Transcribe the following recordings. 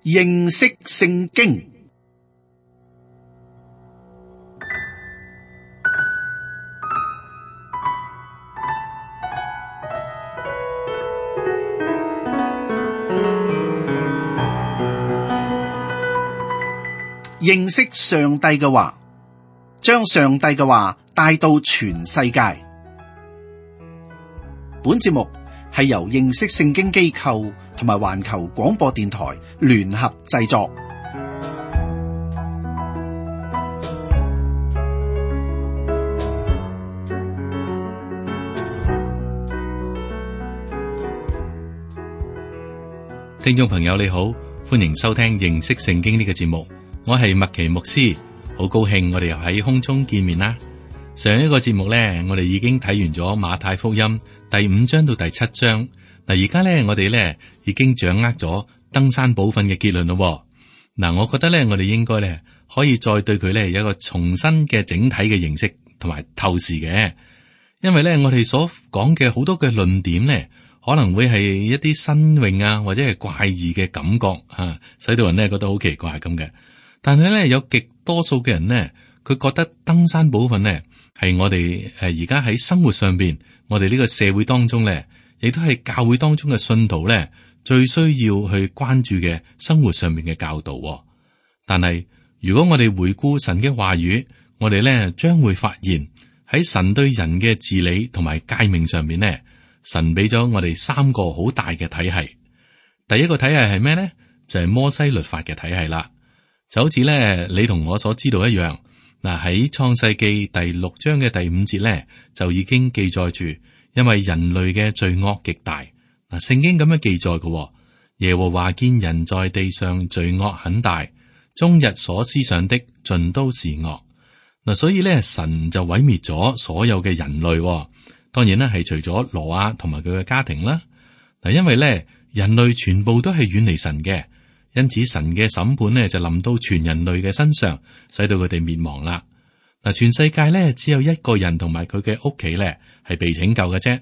認識聖經。認識上帝嘅話，將上帝嘅話帶到全世界。本節目係由認識聖經機構同埋環球廣播電台聯合製作。聽眾朋友你好，歡迎收聽認識聖經呢個節目。我係麥奇牧師，好高興我哋又喺空中見面啦。上一個節目呢，我哋已經睇完咗馬太福音第5章到第7章。嗱，而家呢，我哋呢已經掌握咗登山寶訓嘅結論咯。嗱，我覺得呢，我哋應該呢可以再對佢呢有一個重新嘅整體嘅認識同埋透視嘅，因為呢，我哋所講嘅好多嘅論點呢，可能會係一啲新穎啊，或者係怪異嘅感覺啊，使到人呢覺得好奇怪咁嘅。但係咧，有極多數嘅人呢，佢覺得登山寶訓呢係我哋而家喺生活上邊，我哋呢個社會當中呢，亦都係教會當中嘅信徒呢最需要去關注嘅生活上面嘅教導。但係如果我哋回顧神嘅話語，我哋呢將會發現喺神對人嘅治理同埋誡命上面呢，神俾咗我哋3個好大嘅體系。第一個體系係咩呢？就係摩西律法嘅體系啦。就好似咧，你同我所知道一樣。嗱，喺創世記第6章嘅第5節咧，就已經記載住，因為人類嘅罪惡極大。嗱，聖經咁樣記載嘅，耶和華見人在地上罪惡很大，終日所思想的盡都是惡。嗱，所以咧，神就毀滅咗所有嘅人類。當然啦，係除咗挪亞同埋佢嘅家庭啦。嗱，因為咧，人類全部都係遠離神嘅。因此神嘅審判呢就臨到全人類嘅身上，使到佢哋滅亡啦。嗱，全世界呢只有一個人同埋佢嘅屋企呢係被拯救嘅啫。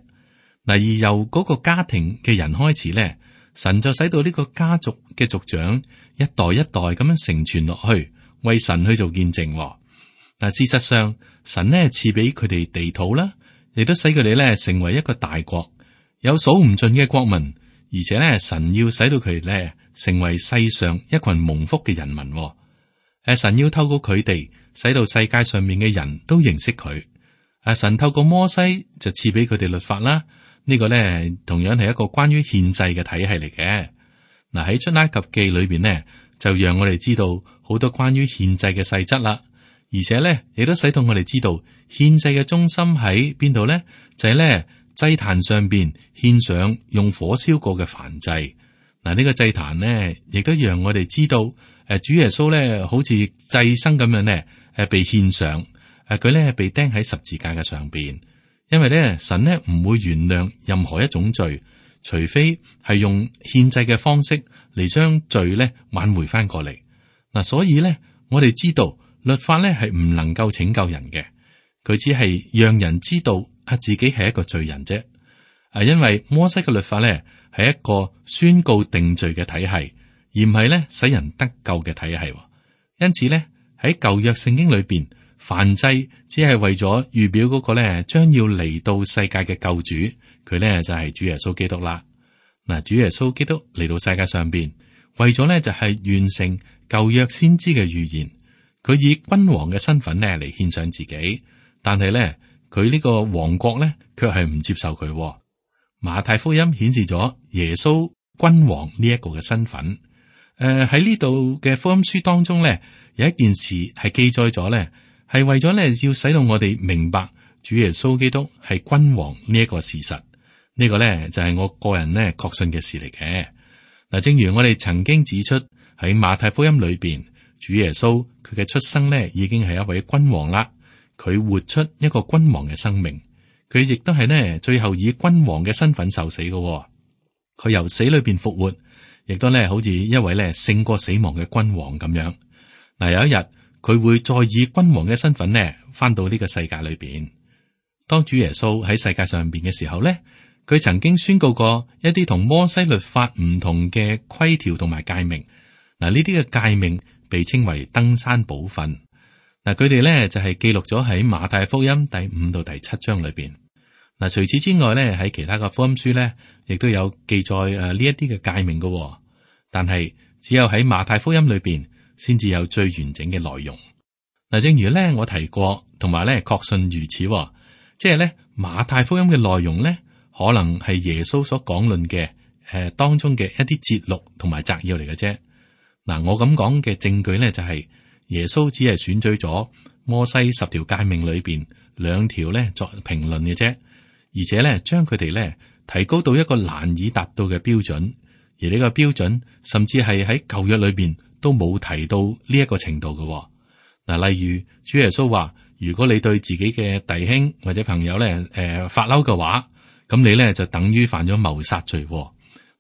嗱，而由嗰個家庭嘅人開始呢，神就使到呢個家族嘅族長一代一代咁樣承傳落去，為神去做見證。嗱，事實上神呢賜俾佢哋地土啦，亦都使佢哋呢成為一個大國，有數唔盡嘅國民，而且呢神要使到佢哋呢成為世上一群蒙福嘅人民。神要透過佢哋，使到世界上面嘅人都認識佢。神透過摩西就賜俾佢哋律法啦。呢個呢，同樣係一個關於獻祭嘅體系嚟嘅。嗱，喺出埃及記裏邊呢，就讓我哋知道好多關於獻祭嘅細則啦。而且呢，亦都使到我哋知道獻祭嘅中心喺邊度呢？就係呢，祭壇上邊獻上用火燒過嘅燔祭。嗱，呢個祭壇呢，亦都讓我哋知道，主耶穌咧，好似祭牲咁樣咧，被獻上，佢咧被釘喺十字架嘅上邊，因為咧神咧唔會原諒任何一種罪，除非係用獻祭嘅方式嚟將罪咧挽回翻過嚟。嗱，所以咧我哋知道律法咧係唔能夠拯救人嘅，佢只係讓人知道自己係一個罪人啫。因為摩西嘅律法咧係一個宣告定罪嘅體系，而唔係咧使人得救嘅體系。因此咧喺舊約聖經裏邊，燔祭只係為咗預表嗰個咧將要嚟到世界嘅救主，佢咧就係主耶穌基督啦。嗱，主耶穌基督嚟到世界上邊，為咗咧就係完成舊約先知嘅預言，佢以君王嘅身份咧嚟獻上自己，但係咧佢呢個王國咧卻係唔接受佢。馬太福音顯示咗耶穌君王呢一個嘅身份。喺呢度嘅福音書當中咧，有一件事係記載咗咧，係為咗咧要使到我哋明白主耶穌基督係君王呢一個事實。呢個咧就係我個人咧確信嘅事嚟嘅。嗱，正如我哋曾經指出喺馬太福音裏邊，主耶穌佢嘅出生咧已經係一位君王啦，佢活出一個君王嘅生命。佢亦都係呢，最後以君王嘅身份受死嘅。佢由死裏邊復活，亦都呢好似一位呢勝過死亡嘅君王咁樣。嗱，有一日佢會再以君王嘅身份呢翻到呢個世界裏邊。當主耶穌喺世界上邊嘅時候呢，佢曾經宣告過一啲同摩西律法唔同嘅規條同埋誡命。嗱，呢啲嘅誡命被稱為登山寶訓。嗱，佢哋咧就係記錄咗喺馬太福音第5到第7章裏邊。嗱，除此之外咧，喺其他嘅福音書咧，亦都有記載呢一啲嘅誡命嘅。但係只有喺馬太福音裏邊，先至有最完整嘅內容。嗱，正如咧我提過，同埋咧確信如此，即係咧馬太福音嘅內容咧，可能係耶穌所講論嘅當中嘅一啲節錄同埋摘要嚟嘅啫。嗱，我咁講嘅證據咧就係耶穌只係選取咗摩西10條誡命裏邊2條咧作評論嘅啫，而且咧將佢哋咧提高到一個難以達到嘅標準，而呢個標準甚至係喺舊約裏邊都冇提到呢一個程度嘅。嗱，例如主耶穌話，如果你對自己嘅弟兄或者朋友咧發嬲嘅話，咁你咧就等於犯咗謀殺罪。嗱，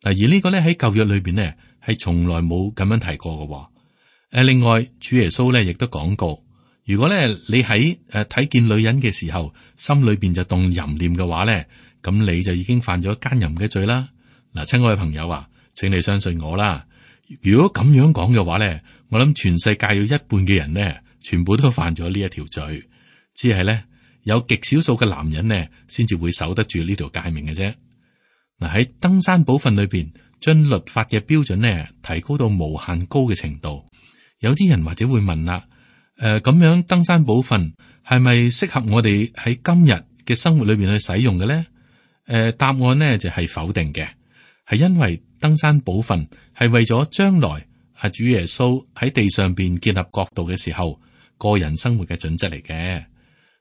而呢個咧喺舊約裏邊咧係從來冇咁樣提過嘅。另外主耶穌咧亦都講過，如果咧你喺睇見女人嘅時候，心裏邊就動淫念嘅話咧，咁你就已經犯咗奸淫嘅罪啦。嗱，親愛嘅朋友啊，請你相信我啦。如果咁樣講嘅話咧，我諗全世界有一半嘅人咧，全部都犯咗呢一條罪，只係咧有極少數嘅男人呢，先至會守得住呢條誡命嘅啫。嗱，喺登山寶訓裏邊，將律法嘅標準呢提高到無限高嘅程度。有啲人或者會問啦，咁樣登山寶訓係咪適合我哋喺今日嘅生活裏邊去使用嘅咧？答案呢就係否定嘅，係因為登山寶訓係為咗將來主耶穌喺地上邊建立國度嘅時候，個人生活嘅準則嚟嘅。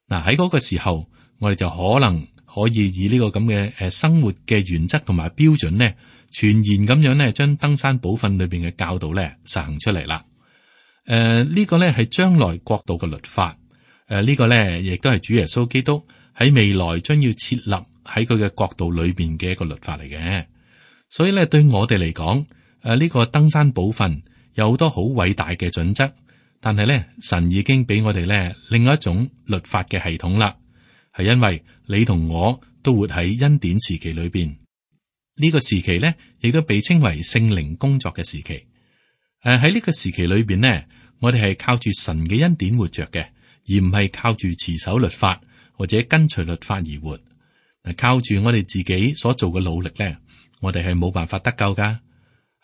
嗱，喺嗰個時候，我哋就可能可以以呢個咁嘅生活嘅原則同埋標準呢，全然咁樣呢將登山寶訓裏邊嘅教導咧實行出嚟啦。呢個咧係將來國度嘅律法。呢個咧亦都係主耶穌基督喺未來將要設立喺佢嘅國度裏邊嘅一個律法嚟嘅。所以咧，對我哋嚟講，呢個登山寶訓有好多好偉大嘅準則，但係咧，神已經俾我哋咧另外一種律法嘅系統啦。係因為你同我都活喺恩典時期裏邊，呢個時期咧亦都被稱為聖靈工作嘅時期。喺呢個時期裏邊呢，我哋係靠住神嘅恩典活着嘅，而唔係靠住持守律法或者跟隨律法而活。靠住我哋自己所做嘅努力咧，我哋係冇辦法得救噶。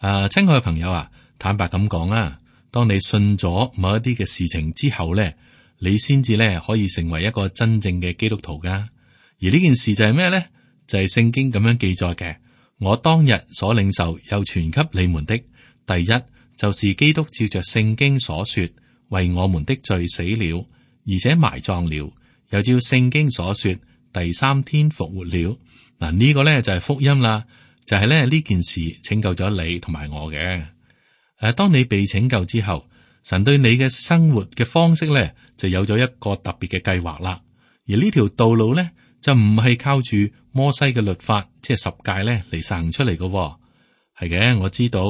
親愛嘅朋友啊，坦白咁講啊，當你信咗某一啲嘅事情之後咧，你先至咧可以成為一個真正嘅基督徒噶。而呢件事就係咩咧？就係聖經咁樣記載嘅。我當日所領受又傳給你們的，第一就是基督照着聖經所說，為我們的罪死了，而且埋葬了，又照聖經所說，第3天復活了。嗱，呢個咧就係福音啦，就係咧呢件事拯救咗你同埋我嘅。當你被拯救之後，神對你嘅生活嘅方式咧就有咗一個特別嘅計劃啦。而呢條道路咧就唔係靠住摩西嘅律法，即係10誡咧嚟實行出嚟嘅。係嘅，我知道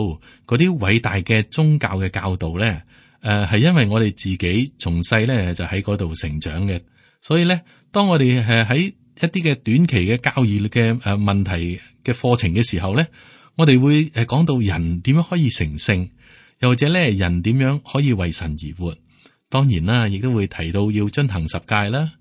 嗰啲偉大嘅宗教嘅教導咧，係因為我哋自己從細咧就喺嗰度成長嘅，所以咧當我哋喺一啲嘅短期嘅教義嘅問題嘅課程嘅時候咧，我哋會講到人點樣可以成聖，又或者咧人點樣可以為神而活。當然啦，亦都會提到要遵行10誡啦。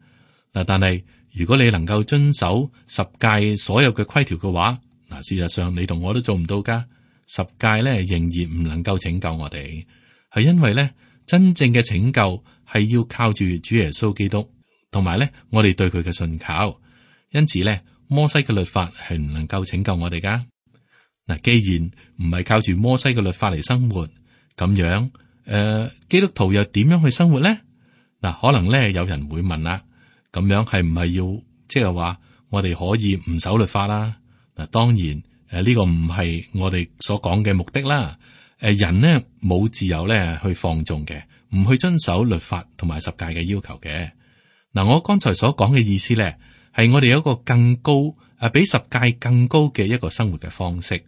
嗱，但係如果你能夠遵守10誡所有嘅規條嘅話，嗱，事實上你同我都做唔到噶。10誡咧仍然唔能夠拯救我哋，係因為咧真正嘅拯救係要靠住主耶穌基督，同埋咧我哋對佢嘅信靠。因此咧，摩西嘅律法係唔能夠拯救我哋噶。嗱，既然唔係靠住摩西嘅律法嚟生活，咁樣基督徒又點樣去生活咧？嗱，可能咧有人會問啦，咁樣係唔係要即係話我哋可以唔守律法啦？嗱，當然呢個唔係我哋所講嘅目的啦。人呢冇自由咧去放縱嘅，唔去遵守律法同埋10誡嘅要求嘅。嗱，我剛才所講嘅意思咧，係我哋有一個更高比10誡更高嘅一個生活嘅方式。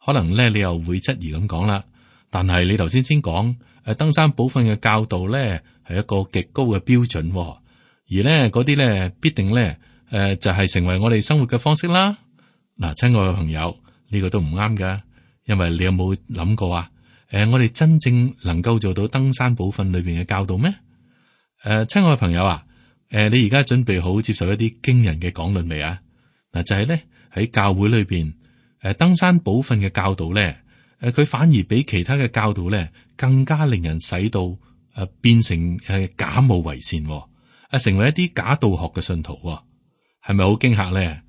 可能咧你又會質疑咁講啦，但係你頭先講登山寶訓嘅教導咧係一個極高嘅標準，而咧嗰啲咧必定咧就係成為我哋生活嘅方式啦。嗱，親愛嘅朋友，呢個都唔啱噶，因為你有冇諗過啊？我哋真正能夠做到登山寶訓裏邊嘅教導咩？親愛嘅朋友啊，你而家準備好接受一啲驚人嘅講論未啊？嗱，就係咧喺教會裏邊，登山寶訓嘅教導咧，佢反而比其他嘅教導咧更加令人使到變成假冒為善，成為一啲假道學嘅信徒，係咪好驚嚇咧？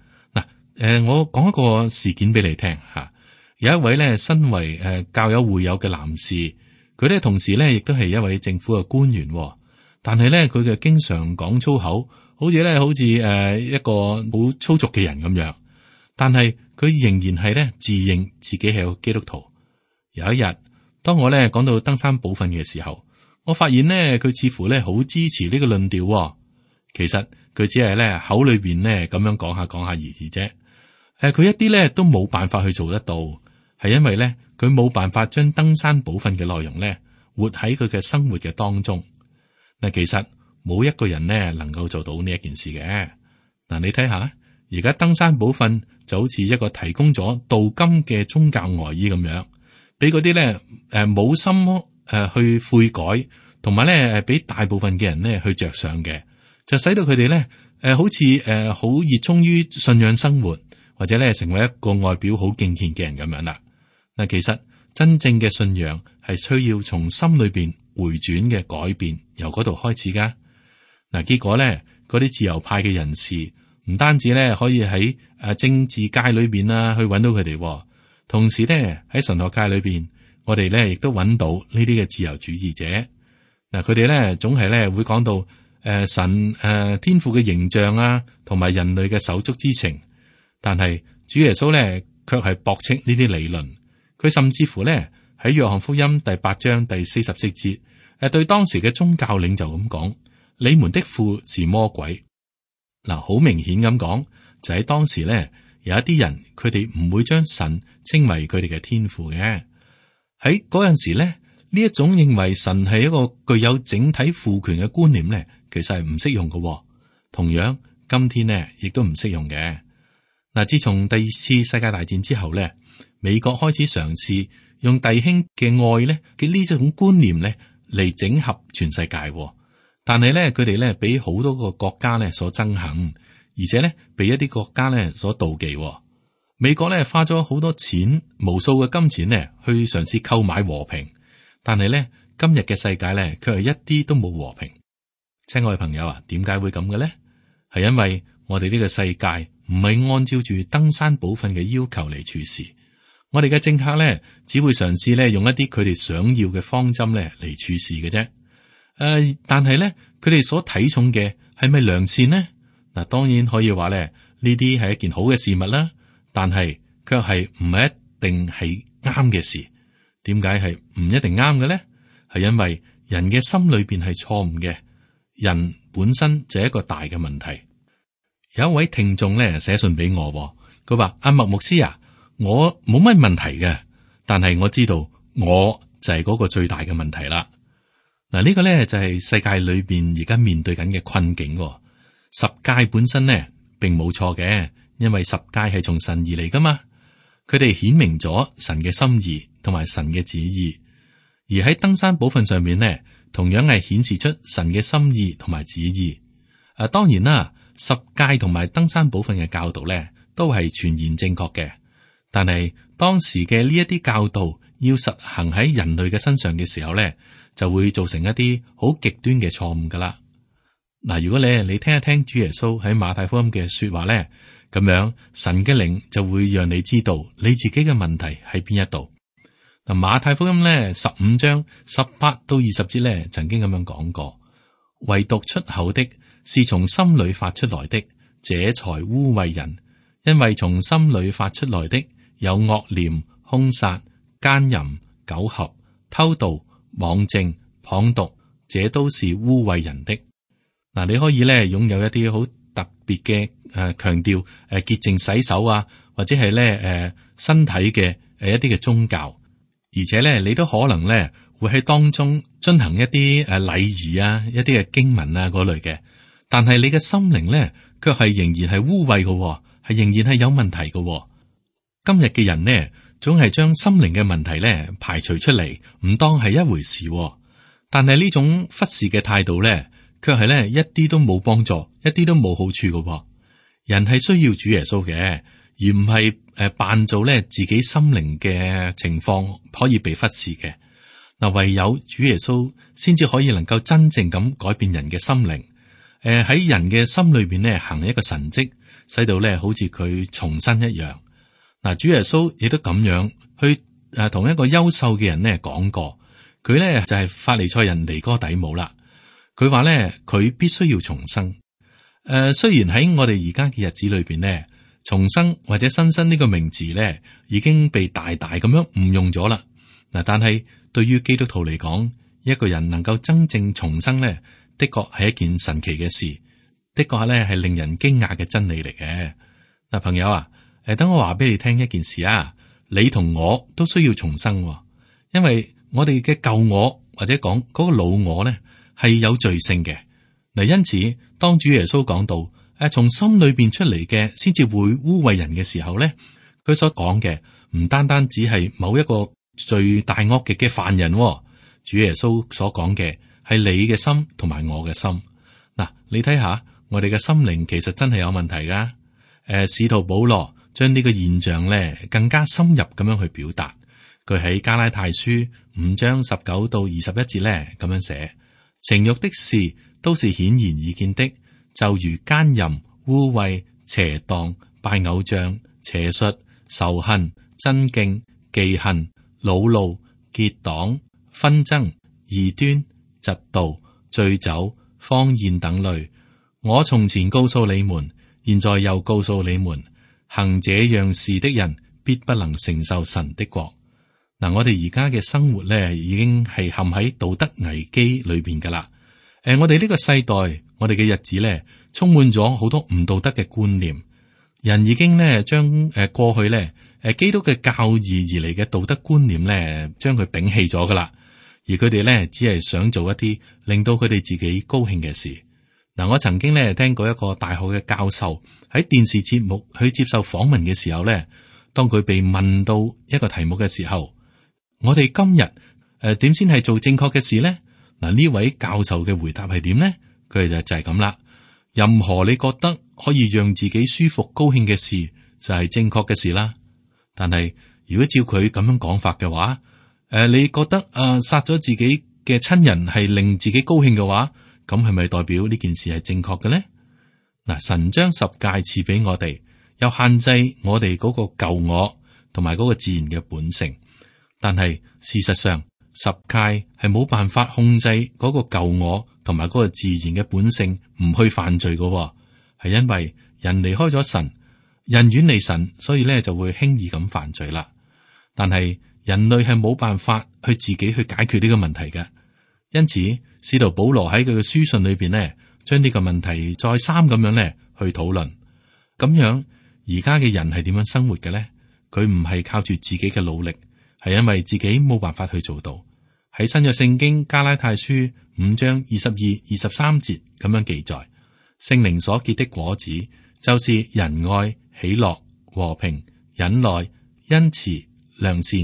嗱，我講一個事件俾你聽吓。有一位咧身為教友會友嘅男士，佢咧同時咧亦都係一位政府嘅官員，但係咧佢嘅經常講粗口，好似一個好粗俗嘅人咁樣。但係佢仍然係咧自認自己係個基督徒。有一日，當我咧講到登山寶訓嘅時候，我發現咧佢似乎咧好支持呢個論調。其實佢只係咧口裏邊咧咁樣講下而已啫。佢一啲咧都冇辦法去做得到。係因為咧，佢冇辦法將登山寶訓嘅內容咧，活喺佢嘅生活嘅當中。嗱，其實冇一個人咧能夠做到呢一件事嘅。嗱，你睇下，而家登山寶訓就好似一個提供咗鍍金嘅宗教外衣咁樣，俾嗰啲咧冇心去悔改，同埋咧俾大部分嘅人咧去着上嘅，就使到佢哋咧好似好熱衷於信仰生活，或者咧成為一個外表好敬虔嘅人咁樣啦。嗱，其實真正嘅信仰係需要從心裏邊回轉嘅改變，由嗰度開始噶。嗱，結果咧，嗰啲自由派嘅人士唔單止咧可以喺政治界裏邊去揾到佢哋，同時咧喺神學界裏邊，我哋咧亦都揾到呢啲嘅自由主義者。嗱，佢哋咧總係咧會講到神天父嘅形象啊，同埋人類嘅手足之情，但係主耶穌咧卻係駁斥呢啲理論。佢甚至乎咧喺約翰福音第8章第44節，對當時嘅宗教領袖咁講：你們的父是魔鬼。嗱，好明顯咁講，就喺當時咧有一啲人，佢哋唔會將神稱為佢哋嘅天父嘅。喺嗰陣時咧，呢一種認為神係一個具有整體父權嘅觀念咧，其實係唔適用嘅。同樣，今天呢亦都唔適用嘅。嗱，自從第二次世界大戰之後咧，美國開始嘗試用弟兄嘅愛咧嘅呢種觀念咧嚟整合全世界，但係咧佢哋咧俾好多個國家咧所憎恨，而且咧被一啲國家咧所妒忌。美國咧花咗好多錢，無數嘅金錢咧去嘗試購買和平，但係咧今日嘅世界咧佢係一啲都冇和平。親愛嘅朋友啊，點解會咁嘅咧？係因為我哋呢個世界唔係按照住登山寶訓嘅要求嚟處事。我哋嘅政客咧，只會嘗試咧用一啲佢哋想要嘅方針咧嚟處事嘅啫。但係咧，佢哋所睇重嘅係咪良善呢？嗱，當然可以話咧，呢啲係一件好嘅事物啦。但係卻係唔係一定係啱嘅事。點解係唔一定啱嘅咧？係因為人嘅心裏邊係錯誤嘅，人本身就係一個大嘅問題。有一位聽眾咧寫信俾我，佢話：阿麥牧師啊，我冇乜問題嘅，但係我知道我就係嗰個最大嘅問題啦。嗱，呢個咧就係世界裏邊而家面對緊嘅困境。十誡本身咧並冇錯嘅，因為十誡係從神而嚟噶嘛，佢哋顯明咗神嘅心意同埋神嘅旨意，而喺登山寶訓上面咧，同樣係顯示出神嘅心意同埋旨意。當然啦，十誡同埋登山寶訓嘅教導咧都係全然正確嘅。但係當時嘅呢一啲教導要實行喺人類嘅身上嘅時候咧，就會造成一啲好極端嘅錯誤噶啦。嗱，如果你聽一聽主耶穌喺馬太福音嘅說話咧，咁樣神嘅靈就會讓你知道你自己嘅問題喺邊一度。嗱，馬太福音咧15章18到20節咧，曾經咁樣講過：唯獨出口的是從心裏發出來的，這才污穢人，因為從心裏發出來的有惡念、兇殺、奸淫、苟合、偷盜、妄證、謗讟，這都是污穢人的。嗱，你可以咧擁有一啲好特別嘅強調潔淨洗手啊，或者係咧身體嘅一啲嘅宗教，而且咧你都可能咧會喺當中進行一啲禮儀啊，一啲嘅經文啊嗰類嘅，但係你嘅心靈咧卻係仍然係污穢嘅，係仍然係有問題嘅。今日嘅人呢，總係將心靈嘅問題咧排除出嚟，唔當係一回事。但係呢種忽視嘅態度咧，卻係咧一啲都冇幫助，一啲都冇好處嘅。人係需要主耶穌嘅，而唔係扮做咧自己心靈嘅情況可以被忽視嘅。嗱，唯有主耶穌先至可以能夠真正咁改變人嘅心靈。喺人嘅心裏邊咧行一個神蹟，使到咧好似佢重生一樣。嗱，主耶穌亦都咁樣去同一個優秀嘅人咧講過，佢咧就係法利賽人尼哥底母啦。佢話咧佢必須要重生。雖然喺我哋而家嘅日子裏邊咧，重生或者新生呢個名字咧已經被大大咁樣誤用咗啦。嗱，但係對於基督徒嚟講，一個人能夠真正重生咧，的確係一件神奇嘅事，的確咧係令人驚訝嘅真理嚟嘅。嗱，朋友啊，等我話俾你聽一件事啊，你同我都需要重生，因為我哋嘅舊我或者講嗰個老我咧係有罪性嘅。嗱，因此當主耶穌講到從心裏邊出嚟嘅先至會污穢人嘅時候咧，佢所講嘅唔單單只係某一個罪大惡極嘅犯人，主耶穌所講嘅係你嘅心同埋我嘅心。嗱，你睇下我哋嘅心靈其實真係有問題噶。使徒保羅將呢個現象咧更加深入咁樣去表達。佢喺加拉太書5章19到21節咧咁樣寫：情欲的事都是顯然易見的，就如奸淫、污穢、邪蕩、拜偶像、邪術、仇恨、爭競、忌恨、惱怒、結黨、紛爭、異端、嫉妒、醉酒、荒宴等類。我從前告訴你們，現在又告訴你們，行這樣事的人必不能承受神的國。嗱，我哋而家嘅生活咧，已經係陷喺道德危機裏邊噶啦。我哋呢個世代，我哋嘅日子咧，充滿咗好多唔道德嘅觀念。人已經咧將過去咧基督嘅教義而嚟嘅道德觀念咧，將佢摒棄咗噶啦。而佢哋咧只係想做一啲令到佢哋自己高興嘅事。嗱，我曾經咧聽過一個大學嘅教授喺電視節目去接受訪問嘅時候咧，當佢被問到一個題目嘅時候，我哋今日點先係做正確嘅事咧？嗱，呢位教授嘅回答係點咧？佢就係咁啦。任何你覺得可以讓自己舒服高興嘅事，就係正確嘅事啦。但係如果照佢咁樣講法嘅話，你覺得殺咗自己嘅親人係令自己高興嘅話，咁係咪代表呢件事係正確嘅咧？嗱，神將十誡賜俾我哋，又限制我哋嗰個舊我同埋嗰個自然嘅本性。但係事實上，十誡係冇辦法控制嗰個舊我同埋嗰個自然嘅本性唔去犯罪嘅，係因為人離開咗神，人遠離神，所以咧就會輕易咁犯罪啦。但係人類係冇辦法去自己去解決呢個問題嘅，因此使徒保羅喺佢嘅書信裏邊呢，將呢個問題再三咁樣咧去討論。咁樣而家嘅人係點樣生活嘅咧？佢唔係靠住自己嘅努力，係因為自己冇辦法去做到。喺新約聖經加拉太書5章22、23節咁樣記載，聖靈所結的果子就是仁愛、喜樂、和平、忍耐、恩慈、良善、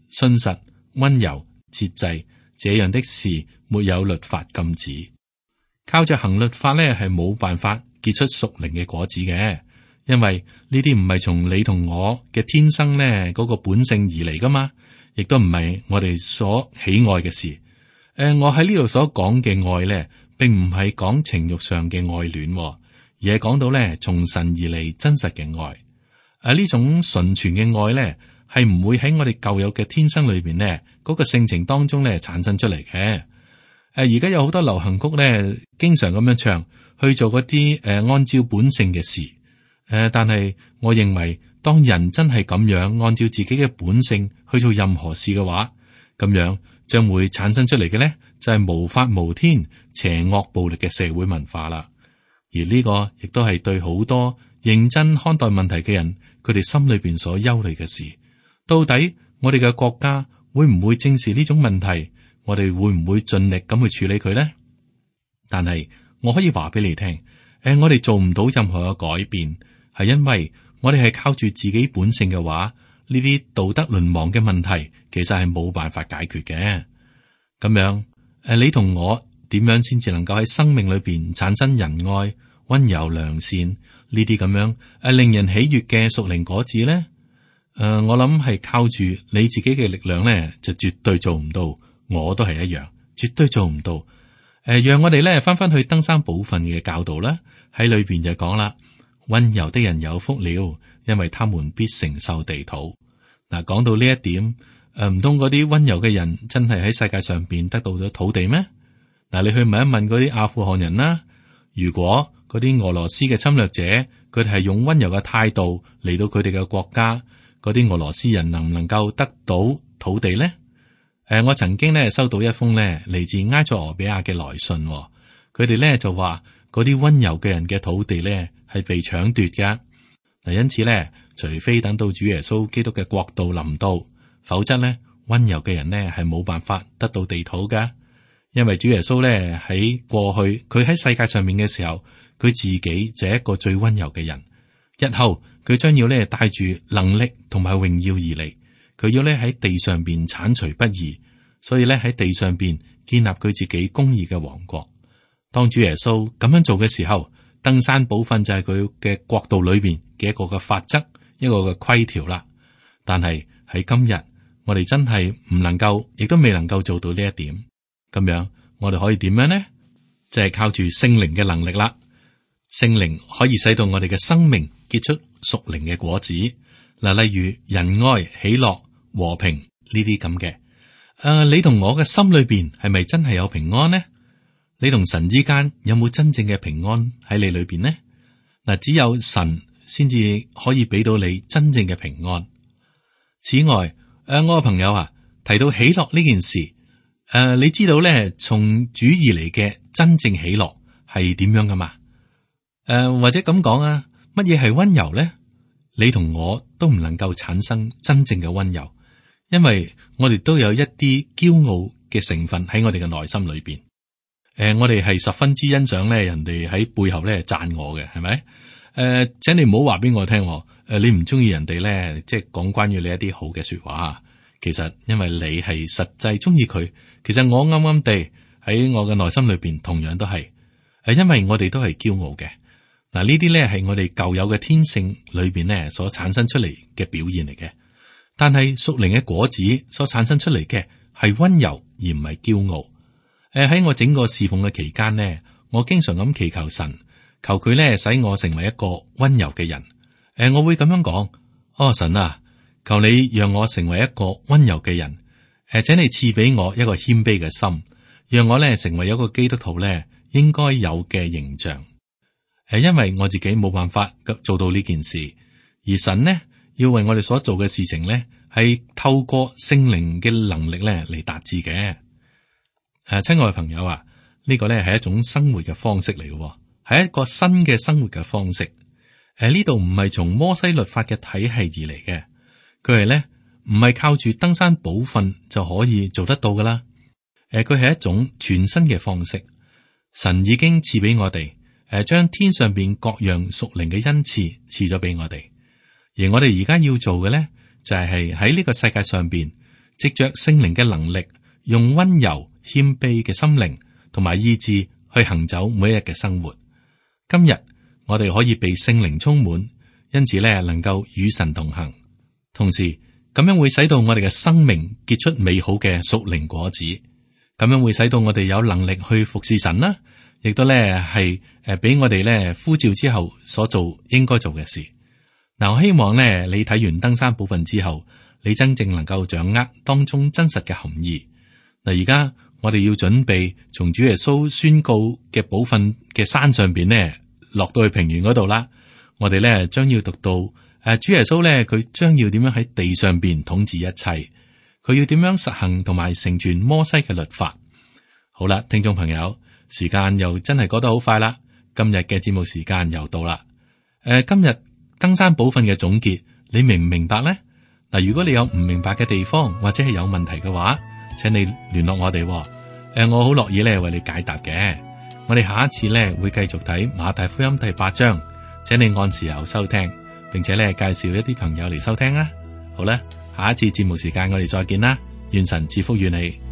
信實、溫柔、節制，這樣的事沒有律法禁止。靠着行律法呢，係冇辦法結出屬靈嘅果子嘅，因為呢啲唔係從你同我嘅天生呢嗰個本性而嚟噶嘛。亦都唔係我哋所喜愛嘅事。我喺呢度所講嘅愛咧，並唔係講情欲上嘅愛戀，而係講到咧從神而嚟真實嘅愛。呢種純全嘅愛咧，係唔會喺我哋舊有嘅天生裏邊咧嗰個性情當中咧產生出嚟嘅。而家有好多流行曲咧，經常咁樣唱，去做嗰啲按照本性嘅事。但係我認為，當人真係咁樣按照自己嘅本性去做任何事嘅話，咁樣將會產生出嚟嘅咧，就係無法無天、邪惡暴力嘅社會文化啦。而呢個亦都係對好多認真看待問題嘅人，佢哋心裏邊所憂慮嘅事。到底我哋嘅國家會唔會正視呢種問題？我哋會唔會盡力咁去處理佢咧？但係我可以話俾你聽，我哋做唔到任何嘅改變，係因為我哋係靠住自己本性嘅話，呢啲道德淪亡嘅問題，其實係冇辦法解決嘅。咁樣，你同我點樣先至能夠喺生命裏邊產生仁愛、溫柔、良善呢啲咁樣令人喜悅嘅屬靈果子咧？我諗係靠住你自己嘅力量咧，就絕對做唔到。我都係一樣，絕對做唔到。讓我哋咧翻翻去登山寶訓嘅教導啦，喺裏邊就講啦，溫柔的人有福了，因為他們必承受地土。嗱，講到呢一點，唔通嗰啲溫柔嘅人真係喺世界上邊得到咗土地咩？嗱，你去問一問嗰啲阿富汗人啦，如果嗰啲俄羅斯嘅侵略者，佢哋係用溫柔嘅態度嚟到佢哋嘅國家，嗰啲俄羅斯人能唔能夠得到土地呢？我曾經咧收到一封咧嚟自埃塞俄比亞嘅來信，佢哋咧就話嗰啲溫柔嘅人嘅土地咧係被搶奪嘅。嗱，因此咧，除非等到主耶穌基督嘅國度臨到，否則咧溫柔嘅人咧係冇辦法得到地土噶。因為主耶穌咧喺過去，佢喺世界上面嘅時候，佢自己就係一個最溫柔嘅人。日後佢將要咧帶住能力同埋榮耀而嚟。佢要咧喺地上邊鏟除不義，所以咧喺地上邊建立佢自己公義嘅王國。當主耶穌咁樣做嘅時候，登山寶訓就係佢嘅國度裏邊嘅一個嘅法則，一個嘅規條啦。但係喺今日，我哋真係唔能夠，亦都未能夠做到呢一點。咁樣，我哋可以點樣呢？就係靠住聖靈嘅能力啦。聖靈可以使到我哋嘅生命結出屬靈嘅果子。嗱，例如仁愛、喜樂、和平呢啲咁嘅。你同我嘅心裏邊係咪真係有平安呢？你同神之間有冇真正嘅平安喺你裏邊呢？嗱，只有神先至可以俾到你真正嘅平安。此外，我嘅朋友啊，提到喜樂呢件事，你知道咧，從主而嚟嘅真正喜樂係點樣噶嘛？或者咁講啊，乜嘢係溫柔咧？你同我都唔能夠產生真正嘅溫柔，因為我哋都有一啲驕傲嘅成分喺我哋嘅內心裏邊。我哋係十分之欣賞咧，人哋喺背後咧讚我嘅，係咪？請你唔好話俾我聽，你唔中意人哋咧，即係講關於你一啲好嘅說話。其實因為你係實際中意佢，其實我啱啱地喺我嘅內心裏邊同樣都係，因為我哋都係驕傲嘅。嗱，呢啲咧係我哋舊有嘅天性裏邊咧所產生出嚟嘅表現嚟嘅，但係屬靈嘅果子所產生出嚟嘅係溫柔而唔係驕傲。喺我整個侍奉嘅期間呢，我經常咁祈求神，求佢咧使我成為一個溫柔嘅人。我會咁樣講：神啊，求你讓我成為一個溫柔嘅人。請你賜俾我一個謙卑嘅心，讓我咧成為一個基督徒咧應該有嘅形象。因為我自己冇辦法做到呢件事，而神呢要為我哋所做嘅事情呢，係透過聖靈嘅能力咧嚟達至嘅。親愛嘅朋友啊，呢個呢係一種生活嘅方式嚟嘅，係一個新嘅生活嘅方式。呢度唔係從摩西律法嘅體系而嚟嘅，佢係呢唔係靠住登山寶訓就可以做得到噶啦。佢係一種全新嘅方式，神已經賜俾我哋。將天上邊各樣屬靈嘅恩賜賜咗俾我哋，而我哋而家要做嘅咧，就係喺呢個世界上邊，藉着聖靈嘅能力，用溫柔謙卑嘅心靈同埋意志去行走每一日嘅生活。今日我哋可以被聖靈充滿，因此咧能夠與神同行，同時咁樣會使到我哋嘅生命結出美好嘅屬靈果子，咁樣會使到我哋有能力去服侍神啦。亦都咧係俾我哋咧呼召之後所做應該做嘅事。嗱，我希望咧你睇完登山寶訓之後，你真正能夠掌握當中真實嘅含義。嗱，而家我哋要準備從主耶穌宣告嘅寶訓嘅山上邊呢，落到去平原嗰度啦。我哋咧將要讀到主耶穌咧，佢將要點樣喺地上邊統治一切，佢要點樣實行同埋成全摩西嘅律法。好啦，聽眾朋友。時間又真係過得好快啦，今日嘅節目時間又到啦。今日登山寶訓嘅總結，你明唔明白呢？嗱，如果你有唔明白嘅地方或者係有問題嘅話，請你聯絡我哋。我好樂意咧為你解答嘅。我哋下一次咧會繼續睇馬太福音第8章，請你按時候收聽，並且咧介紹一啲朋友嚟收聽啊。好啦，下一次節目時間我哋再見啦，願神賜福與你。